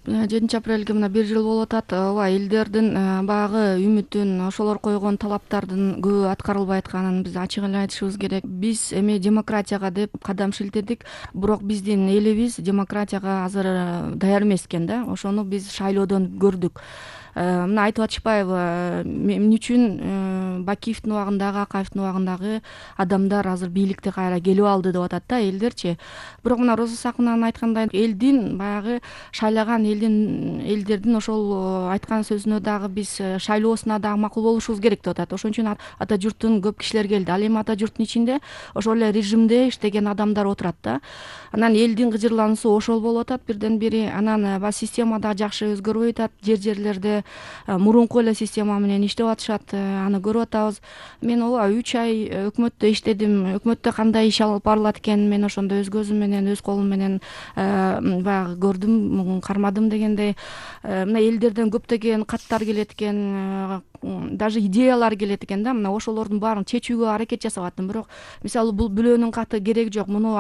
7 апрелге мына 1 жыл болуп атат. Ооба, элдердин баягы үмүтүн, ошолор койгон талаптардын көбү аткарылбай атканын биз ачык эле айтышыбыз керек. Биз эми демократияга деп кадам шилтедик, бирок биздин элибиз демократияга азыр даяр эмес экен да. Ошону биз шайлоодон көрдүк. Мына айтып атышпайбы, эмне үчүн Бакиевдин убагындагы, Акаевдин убагындагы адамдар азыр бийликте кайра келип алды деп атат да элдерчи. Бирок мына Роза Сакунанын айткандай, элдин баягы шайлаган элдердин ошол айткан сөзүнө дагы биз шайлоосуна дагы макул болушубуз керек деп атат. Ошон үчүн ата журттун көп кишилер келди. Ал эми ата журттун ичинде ошол эле режимде иштеген адамдар отурат да. Анан элдин кыжырлануусу ошол болуп атат бирден бири. Анан баягы система да жакшы өзгөрбөй атат. Жерлерде мурунку эле система менен иштеп атышат, аны көрүп атабыз. Мен ооба 3 ай өкмөттө иштедим. Өкмөттө кандай иш алып барылат экенин мен ошондо өз көзүм менен, өз колум менен баягы көрдүм, кармадым дегендей. Мына элдерден көптөгөн каттар келет экен, даже идеялар келет экен да. Мына ошолордун баарын чечүүгө аракет жасап аттым. Бирок мисалы бул бүлөөнүн каты кереги жок, муну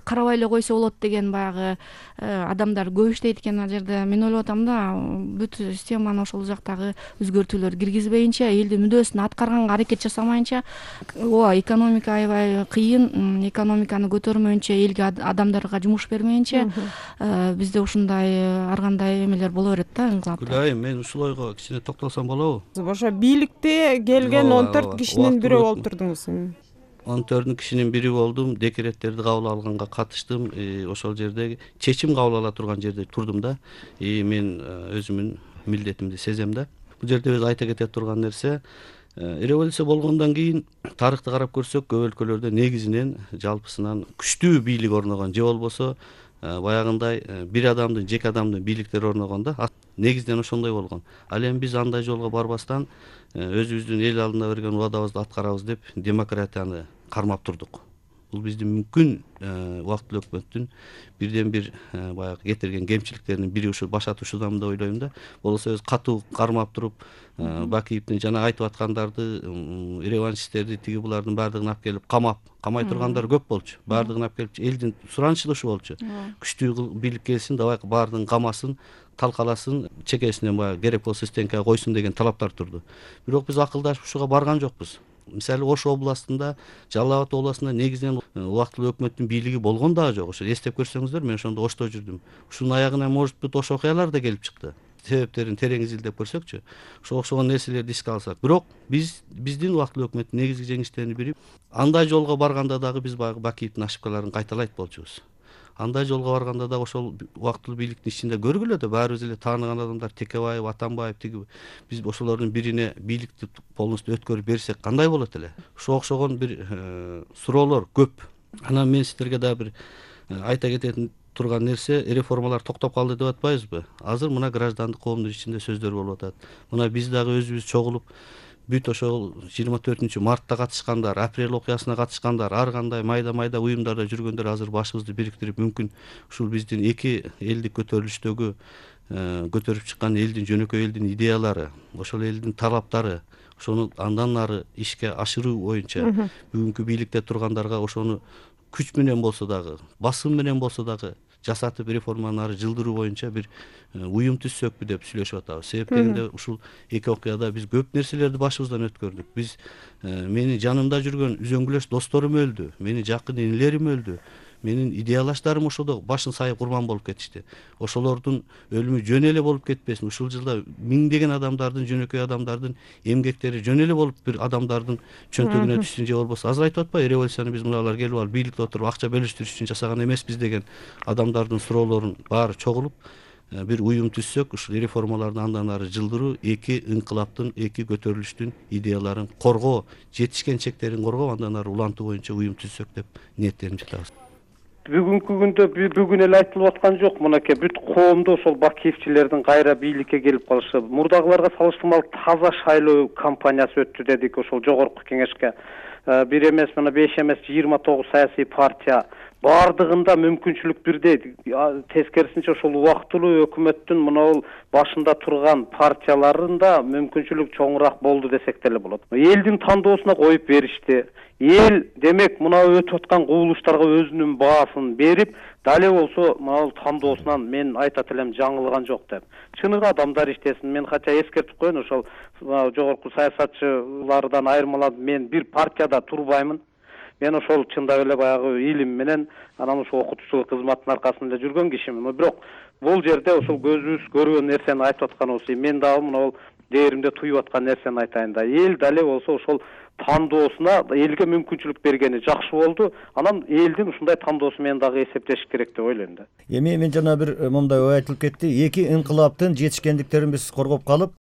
карабай эле койсо болот деген баягы адамдар көп иштейт экен ал жерде. Мен ойлоп атам да, бүт системаны ошол жактагы өзгөртүүлөр киргизбейинче, элдин мүдөөсүн аткарганга аракет жасамайынча, ооба, экономика аябай кыйын. Экономиканы көтөрмөйүнчө, элге, адамдарга жумуш бермейинче, бизде ушундай ар кандай эмелер боло берет да, ыңгылап. Гүлайым, мен ушул ойго кичине токтолсом болобу? Ошо бийликте келген 14 кишинин бири болуп турдуңуз. 14 кишинин бири болдум. Декреттерди кабыл алганга катыштым. Ошол жерде чечим кабыл ала турган жерде турдум да. Мен өзүмдүн милдетимди сезем да. Бул жерде биз айта кете турган нерсе, революция болгондон кийин тарыхты карап көрсөк, көп өлкөлөрдө негизинен жалпысынан күчтүү бийлик орногон, же болбосо баягындай бир адамдын, жеке адамдын бийликтери орногон да. Негизден ошондой болгон. Ал эми биз андай жолго барбастан өзүбүздүн эл алдында берген убадабызды аткарабыз деп демократияны кармап турдук. Бул биздин мүмкүн убактылуу өкмөттүн бирден бир баягы кетирген кемчиликтеринин бири ушу баш атуушудан деп ойлойм да. Болбосо өз катуу кармап туруп, Бакиевдин жана айтып аткандарды, реваншисттерди, тиги булардын баардыгын алып келип камай тургандар көп болчу. Баардыгын алып келип, элдин суранышы да ушул болчу. Күчтүү бийлик келсин, давай баардыгын камасын, талкаласын, чекесинен баягы керек болсо стенкага койсун деген талаптар турду. Бирок биз акылдашып ушуга барган жокпуз. Мисалы Ош областында, Жалал Абад областында негизинен убактылуу өкмөттүн бийлиги болгон дагы жок. Ошо эстеп көрсөңүздөр, мен ошондо Ошто жүрдүм. Ушунун аягына может быть Ош окуялар да келип чыкты. Себептерин терең изилдеп көрсөкчү, ошого окшогон нерселерди эске алсак. Бирок биздин убактылуу өкмөттүн негизги жеңиштеринин бири, андай жолго барганда дагы биз баягы Бакиевдин ошибкаларын кайталайт болчубуз. Андай жолго барганда да ошол убактылуу бийликтин ичинде көргүлө да, баарыбыз эле тааныган адамдар, Текебаев, Атамбаев, тиги биз ошолордун бирине бийликти полностью өткөрүп берсек кандай болот эле? Ошого окшогон бир суроолор көп. Анан мен сиздерге дагы бир айта кететін турган нерсе, реформалар токтоп калды деп атпайбызбы? Азыр мына граждандык коомдун ичинде сөздөр болуп атат. Мына биз дагы өзүбүз чогулуп, бүт ошол 24-мартта катышкандар, апрель окуясына катышкандар, ар кандай майда уюмдарда жүргөндөр азыр башыбызды бириктирип, мүмкүн ушул биздин эки элдик көтөрүлүштөгү көтөрүп чыккан элдин, жөнөкөй элдин идеялары, ошол элдин талаптары, ошону андан ары ишке ашыруу боюнча бүгүнкү бийликте тургандарга ошону күч менен болсо дагы, басым менен болсо дагы жасатып реформаны ары жылдыруу боюнча бир уюм түзсөкпү деп сүйлөшүп атабыз. Себеп дегенде ушул эки окуяда биз көп нерселерди башыбыздан өткөрдүк. Биз менин жанымда жүргөн үзөңгүлөш досторум өлдү, менин жакын инилерим өлдү. Менин идеялаштарым ошодо башын сайып курман болуп кетишти. Ошолордун өлүмү жөн эле болуп кетпесин. Ушул жылда миңдеген адамдардын, жөнөкөй адамдардын эмгектери жөн эле болуп бир адамдардын чөнтөгүнө түшсүн, же болбосо азыр айтып атпайбы, революцияны биз мыналар келип алып бийликте отуруп акча бөлүштүрүш үчүн жасаган эмеспиз деген адамдардын суроолорун баары чогулуп бир уюм түзсөк, ушул реформаларды андан ары жылдыруу, эки ыңкылаптын, эки көтөрүлүштүн идеяларын коргоо, жетишкен чектерин коргоп, андан ары улантуу боюнча уюм түзсөк деп ниеттенип жатабыз. Бүгүнкү күндө бүгүн эле айтылып аткан жок, мынакей бүт коомдо ошол Бакиевчилердин кайра бийликке келип калышы. Мурдагыларга салыштырмалуу таза шайлоо кампаниясы өттү дедик ошол жогорку кеңешке. Бир эмес, мына 5 эмес 29 саясий партия баардыгында мүмкүнчүлүк бирдей. Тескерисинче ошол убактылуу өкмөттүн мына башында турган партияларында мүмкүнчүлүк чоңураак болду десек деле болот. Элдин тандоосуна коюп беришти. Эл демек мына өтүп аткан кубулуштарга өзүнүн баасын берип, дале болсо мына тандоосунан мен айтат элем жаңылган жок деп. Чыныгы адамдар иштесин. Мен кача эскертип коеюн, ошол жогорку саясатчылардан айырмаланып мен бир партияда турбаймын. Мен ошол чындап эле баягы илим менен анан ошо окутуучулук кызматынын аркасында жүргөн кишимин. Бирок бул жерде ошол көзүбүз көргөн нерсени айтып аткан болсо, мен дагы мына дээримде туюп аткан нерсени айтайын да. Эл дале болсо ошол тандоосуна элге мүмкүнчүлүк бергени жакшы болду. Анан элдин ушундай тандоосу менен дагы эсептеш керек деп ойлойм да. Эми мен жана бир мындай ой айтылып кетти. Эки инкылаптын жетишкендиктерин биз коргоп калып,